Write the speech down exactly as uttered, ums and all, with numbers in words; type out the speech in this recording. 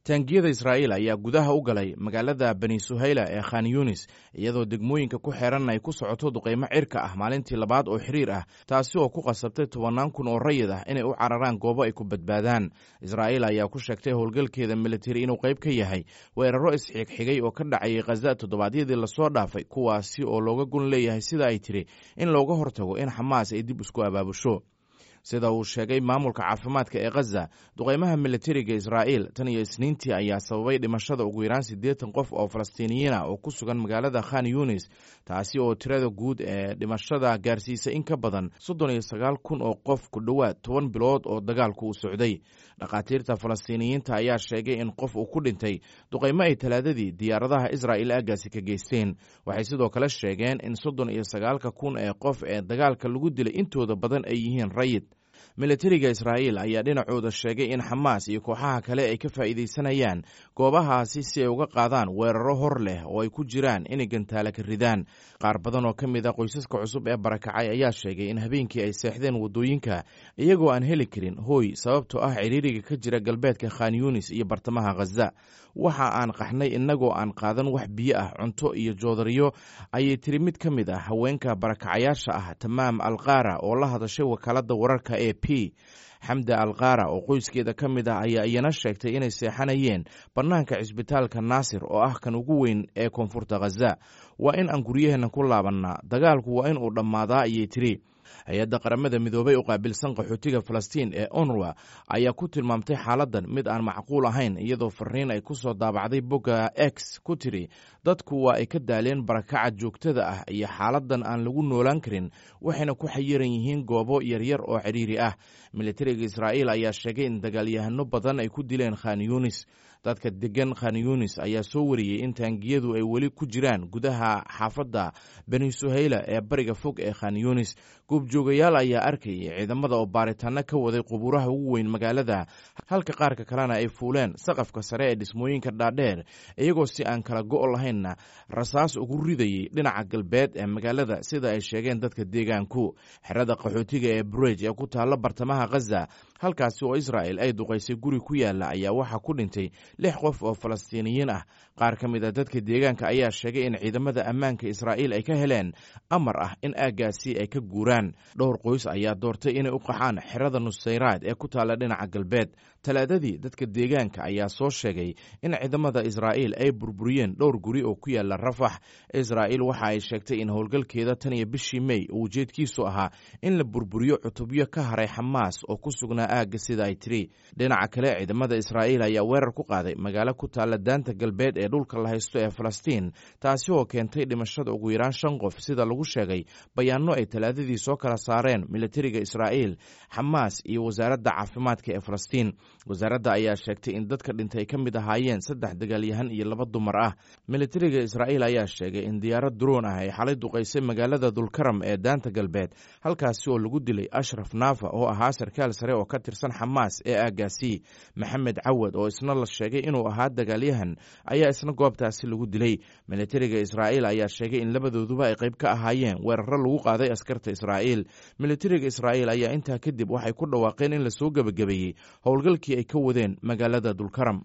Taangiyada Israa'iil ayaa gudaha u galay magaalada Bani Suhayla ee Khan Yunis, iyadoo degmooyinka ku xeeran ay ku socoto duqeymo cirka ah maalintii labaad oo xiriir ah, taasi oo ku qasabtay tobannaan kun oo rayid ah inay u cararaan goobo ay ku badbaadaan. Israa'iil ayaa ku sheegtay howlgalkeeda militari inuu qayb ka yahay weeraro isxigxigay oo ka dhacayay Khaza toddobaadyadii lasoo dhaafay, kuwaasi oo looga gun leeyahay, sida ay tiri, in looga hortago in Xamaas ay dib isku abaabusho. Sida uu sheegay maamulka caafimaadka ee Khaza, duqeymaha militariga Israa'iil tan iyo Isniintii ayaa sababay dhimashada ugu yaraan siddeetan qof oo Falastiiniyiin ah oo ku sugan magaalada Khan Yunis, taasi oo tirada guud ee dhimashada gaarsiisay in ka badan soddon iyo sagaal kun oo qof ku dhowaad toban bilood oo dagaalku u socday. Dhakhaatiirta Falastiiniyiinta ayaa sheegay in qof uu ku dhintay duqeymo ay Talaadadii diyaaradaha Israa'iil aaggaasi ka geysteen. Waxay sidoo kale sheegeen in soddon iyo sagaalka kun ee qof ee dagaalka lagu dilay intooda badan ay yihiin rayid. Militariga Israa'iil ayaa dhinacooda sheegay in Xamaas iyo kooxaha kale ay ka faa'iidaysanayaan goobahaasi si ay uga qaadaan weeraro hor leh oo ay ku jiraan inay gantaale ka ridaan. Qaar badan oo ka mid a qoysaska cusub ee barakacay ayaa sheegay in habeenkii ay seexdeen waddooyinka, iyagoo aan heli karin hooy, sababtoo ah ciriiriga ka jira galbeedka Khan Yunis iyo bartamaha Khaza. "Waxa aan qaxnay innagoo aan qaadan wax biyo ah, cunto iyo joodariyo," ayay tiri mid ka mid ah haweenka barakacayaasha ah, Tamaam Alqaara, oo la hadashay wakaaladda wararka A P. Xamda Alqaara oo qoyskeeda ka mid ah ayaa iyana sheegtay inay seexanayeen bannaanka cisbitaalka Naasir oo ah kan ugu weyn ee koonfurta Khaza. "Waa in aan guryaheenna ku laabannaa, dagaalku waa in uu dhammaadaa," ayay tiri. Hay-adda Qaramada Midoobay u qaabilsan qaxootiga Falastiin ee ONRWA ayaa ku tilmaamtay xaaladdan mid aan macquul ahayn, iyadoo fariin ay ku soo daabacday bogga X ku tiri: "Dadku waa ay ka daaleen barakaca joogtada ah iyo xaaladdan aan lagu noolaan karin, waxayna ku xayiran yihiin goobo yaryar oo cidhiiri ah." Militariga Israa'iil ayaa sheegay in dagaalyahano badan ay ku dileen Khan Yunis. Dadka degan Khan Yunis ayaa soo wariyey in taangiyadu ay weli ku jiraan gudaha xaafadda Bani Suhayla ee bariga fog ee Khan Yunis. Goobjoogayaal ayaa arkayay ciidamada oo baaritaano ka waday qubuuraha ugu weyn magaalada, halka qaarka kalena ay fuuleen saqafka sare ee dhismooyinka dhaadheer, iyagoo si aan kala go' lahaynna rasaas ugu ridayay dhinaca galbeed ee magaalada, sida ay sheegeen dadka deegaanku. Xerada qaxootiga ee Burej ee ku taalla bartamaha Khaza, halkaasi oo Israa'el ay duqaysay guri ku yaala, ayaa waxaa ku dhintay lix qof oo Falastiiniyiin ah. Qaar ka mid a dadka deegaanka ayaa sheegay in ciidamada ammaanka Israa'iil ay ka heleen amar ah in aaggaasi ay ka guuraan. Dhowr qoys ayaa doortay inay u qaxaan xerada Nusayraad ee ku taalla dhinaca galbeed. Talaadadii, dadka deegaanka ayaa soo sheegay in ciidamada Israa'iil ay burburiyeen dhowr guri oo ku yaala Rafax. Israa'iil waxa ay sheegtay in howlgalkeeda tan iyo bishii Mey uu ujeedkiisu ahaa in la burburiyo cutubyo ka haray Xamaas oo ku sugnaa aagga, sida ay tiri. Dhinaca kale, ciidamada Israa'iil ayaa weerar ku qaaday magaalo ku taalla daanta galbeed ee dhulka la haysto ee Falastiin, taasi oo keentay dhimashada ugu yaraan shan qof, sida lagu sheegay bayaano ay Talaadadii soo kala saareen militariga Israa'iil, Xamaas iyo wasaaradda caafimaadka ee Falastiin. Wasaaradda ayaa sheegtay in dadka dhintay ay ka mid ahaayeen saddex dagaalyahan iyo laba dumar ah. Militariga Israa'iil ayaa sheegay in diyaarad duroon ah ay xalay duqaysay magaalada Dulkaram ee daanta galbeed, halkaasi oo lagu dilay Ashraf Naafa oo ahaa sarkaal sare oo ka tirsan Xamaas ee aaggaasi. Maxamed Cawad oo isna la sheegay inuu ahaa dagaalyahan ayaa isna goobtaasi lagu dilay. Militariga Israa'iil ayaa sheegay in labadooduba ay qayb ka ahaayeen weeraro lagu qaaday askarta Israa'iil. Militariga Israa'iil ayaa intaa kadib waxay ku dhawaaqeen in lasoo gebagabeeyey howlgalkii ay ka wadeen magaalada Dulkaram.